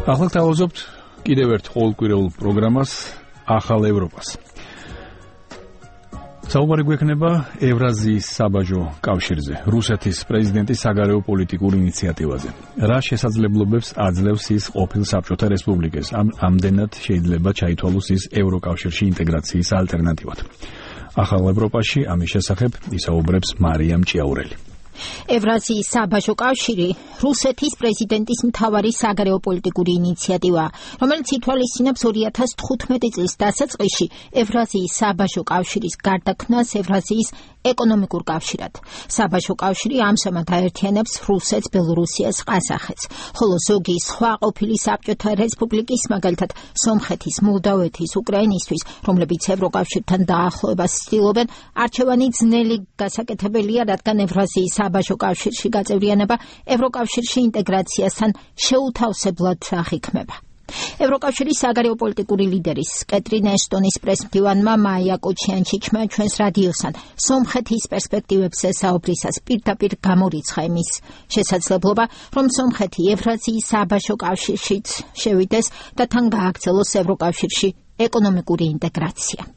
ახლა თავაზობთ კიდევ ერთ ყოველკვირეულ პროგრამას ახალ ევროპას. საუბარი გვექნება ევრაზიის საბაჟო კავშირზე, რუსეთის პრეზიდენტის საგარეო პოლიტიკურ ინიციატივაზე. რა შესაძლებლობებს აძლევს ის ყოფილ საბჭოთა რესპუბლიკას? ამდენად შეიძლება ჩაითვალოს ის ევროკავშირში ინტეგრაციის ალტერნატივად. ახალ ევროპაში ამის შესახებ ისაუბრებს მარიამ ჭიაურელი. ევრაზიის საბაჟო კავშირი რუსეთის პრეზიდენტის მთავარი საგარეო პოლიტიკური ინიციატივაა, რომელიც ითვალისწინებს 2015 წლის დასაწყისში ევრაზიის საბაჟო კავშირის გარდაქმნას ევრაზიის ეკონომიკურ კავშირად. საბაჟო კავშირი ამჟამად აერთიანებს რუსეთს, ბელორუსიას, ყაზახეთს, ხოლო ზოგი სხვა ყოფილი საბჭოთა რესპუბლიკის, მაგალითად სომხეთის, მოლდავეთის, უკრაინისთვის, რომლებიც ევროკავშირთან დაახლოებას ცდილობენ, არჩევანი ძნელი გასაკეთებელია, რადგან ევრაზიის საბაჟო კავშირში გაწევრიანება ევროკავშირში ინტეგრაციასთან შეუთავსებლად აღიქმება. ევროკავშირის საგარეო პოლიტიკური ლიდერის კეტრინ ეშტონის პრესმდივანმა მაია კოჩიანჩიჩმა ჩვენს რადიოსთან სომხეთის პერსპექტივებზე საუბრისას პირდაპირ გამორიცხა იმის შესაძლებლობა, რომ სომხეთი ევრაზიის საბაჟო კავშირშიც შევიდეს და თან გააგრძელოს ევროკავშირში ეკონომიკური ინტეგრაცია.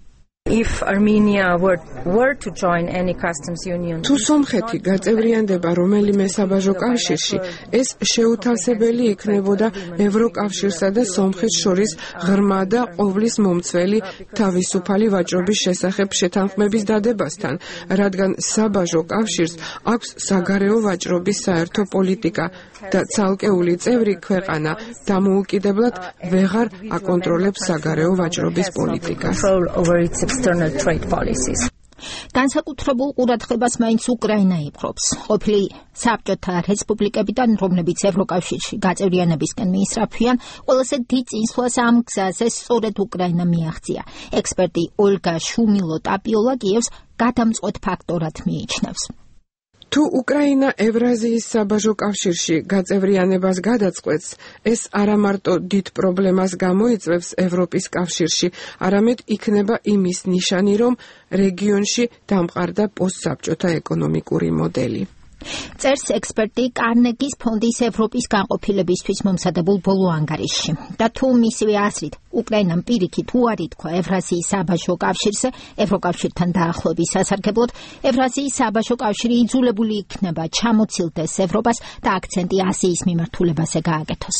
If Armenia were to join any customs union, თუ სომხეთი გაწევრიანდება რომელიმე საბაჟო კავშირში, ეს შეუთავსებელი იქნებოდა ევროკავშირსა და სომხეთს შორის ღრმა და ყოვლის მომცველი თავისუფალი ვაჭრობის შესახებ შეთანხმების დადებასთან, რადგან საბაჟო კავშირს აქვს საგარეო ვაჭრობის საერთო პოლიტიკა და ცალკეული წევრი ქვეყანა დამოუკიდებლად ვეღარ აკონტროლებს საგარეო ვაჭრობის პოლიტიკას. განსაკუთრებულ ყურადღებას მაინც უკრაინა იპყრობს. ყოფილი საბჭოთა რესპუბლიკებიდან, რომლებიც ევროკავშირში გაწევრიანებისკენ მიისწრაფვიან, ყველაზე დიდ წინსვლას ამ გზაზე სწორედ უკრაინა მიაღწია. ექსპერტი ოლგა შუმილო-ტაპიოლა კიევს გადამწყვეტ ფაქტორად მიიჩნევს. თუ უკრაინა ევრაზიის საბაჟო კავშირში გაწევრიანებას გადაწყვეტს, ეს არა მარტო დიდ პრობლემას გამოიწვევს ევროპის კავშირში, არამედ იქნება იმის ნიშანი, რომ რეგიონში დამყარდა პოსტსაბჭოთა ეკონომიკური მოდელი. წერს ექსპერტი კარნეგის ფონდის ევროპის განყოფილებისთვის მომზადებულ ბოლო ანგარიშში. და თუ მისივე აზრით უკრაინამ პირიქით უარი თქვა ევრაზიის საბაჟო კავშირზე, ევროკავშირთან დაახლოების სასარგებლოდ, ევრაზიის საბაჟო კავშირი იძულებული იქნება ჩამოცილდეს ევროპას და აქცენტი აზიის მიმართულებაზე გააკეთოს.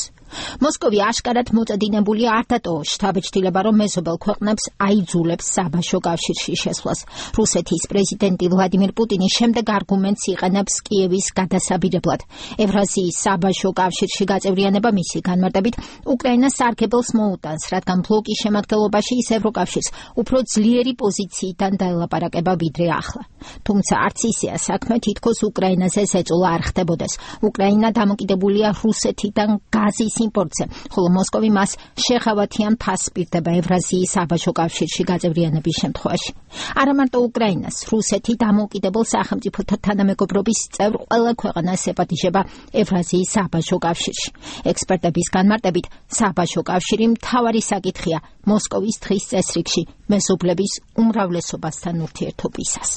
მოსკოვი აშკარად მოწედინებული არ დატოვა შთაბეჭდილება, რომ მეზობელ ქვეყნებს აიძულებს საბაჟო კავშირში შესვლას. რუსეთის პრეზიდენტი ვლადიმირ პუტინი შემდეგ არგუმენტს იყენებს კიევის გადასაბირებლად. ევრაზიის საბაჟო კავშირში გაწევრიანება მისი განმარტებით უკრაინას სარგებელს მოუტანს, რადგან ბლოკის შემადგენლობაში ის ევროკავშირს უფრო ძლიერი პოზიციიდან დაელაპარაკება ვიდრე ახლა. თუმცა არც ისეა საქმე, თითქოს უკრაინაზე ზეწოლა არ ხდებოდეს. უკრაინა დამოკიდებულია რუსეთიდან გაზის იმპორტზე, ხოლო მოსკოვი მას შეღავათიან ფასს პირდება ევრაზიის საბაჟო კავშირში გაწევრიანების შემთხვევაში. არა მარტო უკრაინას, რუსეთი დამოუკიდებელ სახელმწიფოთა თანამეგობრობის წევრ ყველა ქვეყანას ეპატიჟება ევრაზიის საბაჟო კავშირში. ექსპერტების განმარტებით, საბაჟო კავშირი მთავარი საკითხია მოსკოვის დღის წესრიგში მეზობლების უმრავლესობასთან ურთიერთობისას.